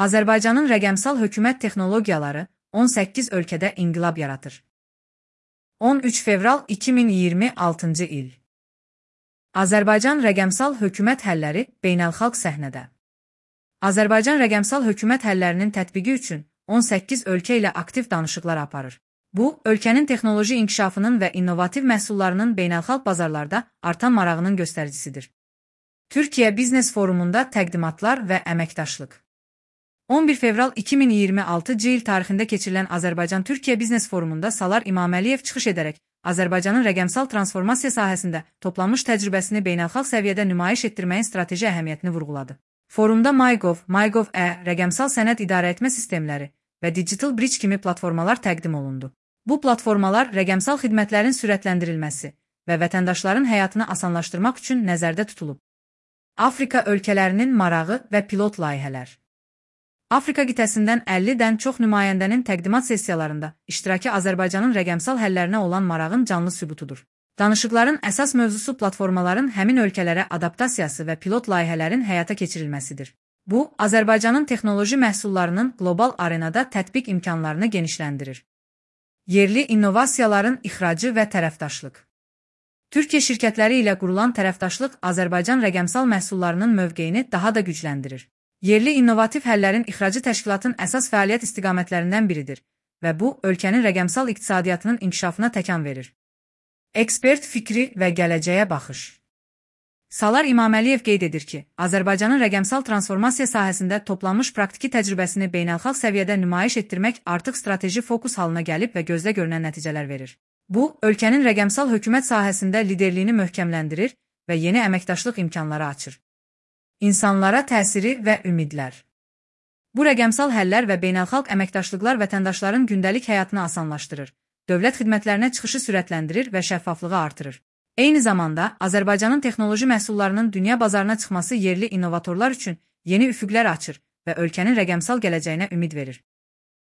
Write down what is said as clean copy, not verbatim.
Azərbaycanın rəqəmsal hökumət texnologiyaları 18 ölkədə inqilab yaratır. 13 fevral 2026-cı il. Azərbaycan rəqəmsal hökumət həlləri beynəlxalq səhnədə. Azərbaycan rəqəmsal hökumət həllərinin tətbiqi üçün 18 ölkə ilə aktiv danışıqlar aparır. Bu, ölkənin texnoloji inkişafının və innovativ məhsullarının beynəlxalq bazarlarda artan marağının göstəricisidir. Türkiyə Biznes Forumunda təqdimatlar və əməkdaşlıq. 11 fevral 2026-cı il tarixində keçirilən Azərbaycan-Türkiyə Biznes Forumunda Salar İmaməliyev çıxış edərək Azərbaycanın rəqəmsal transformasiya sahəsində toplanmış təcrübəsini beynəlxalq səviyyədə nümayiş etdirməyin strateji əhəmiyyətini vurğuladı. Forumda MyGov, rəqəmsal sənəd idarəetmə sistemləri və Digital Bridge kimi platformalar təqdim olundu. Bu platformalar rəqəmsal xidmətlərin sürətləndirilməsi və vətəndaşların həyatını asanlaşdırmaq üçün nəzərdə tutulub. Afrika ölkələrinin marağı və pilot layihələr. Afrika qitəsindən 50-dən çox nümayəndənin təqdimat sessiyalarında iştirakı Azərbaycanın rəqəmsal həllərinə olan marağın canlı sübutudur. Danışıqların əsas mövzusu platformaların həmin ölkələrə adaptasiyası və pilot layihələrin həyata keçirilməsidir. Bu, Azərbaycanın texnoloji məhsullarının qlobal arenada tətbiq imkanlarını genişləndirir. Yerli innovasiyaların ixracı və tərəfdaşlıq. Türkiyə şirkətləri ilə qurulan tərəfdaşlıq Azərbaycan rəqəmsal məhsullarının mövqeyini daha da gücləndirir. Yerli innovativ həllərin ixracı təşkilatın əsas fəaliyyət istiqamətlərindən biridir və bu, ölkənin rəqəmsal iqtisadiyyatının inkişafına təkan verir. Ekspert fikri və gələcəyə baxış. Salar İmaməliyev qeyd edir ki, Azərbaycanın rəqəmsal transformasiya sahəsində toplanmış praktiki təcrübəsini beynəlxalq səviyyədə nümayiş etdirmək artıq strateji fokus halına gəlib və gözdə görünən nəticələr verir. Bu, ölkənin rəqəmsal hökumət sahəsində liderliyini möhkəmləndirir və yeni əməkdaşlıq imkanları açır. İnsanlara təsiri və ümidlər. Bu rəqəmsal həllər və beynəlxalq əməkdaşlıqlar vətəndaşların gündəlik həyatını asanlaşdırır, dövlət xidmətlərinə çıxışı sürətləndirir və şəffaflığı artırır. Eyni zamanda, Azərbaycanın texnoloji məhsullarının dünya bazarına çıxması yerli innovatorlar üçün yeni üfüqlər açır və ölkənin rəqəmsal gələcəyinə ümid verir.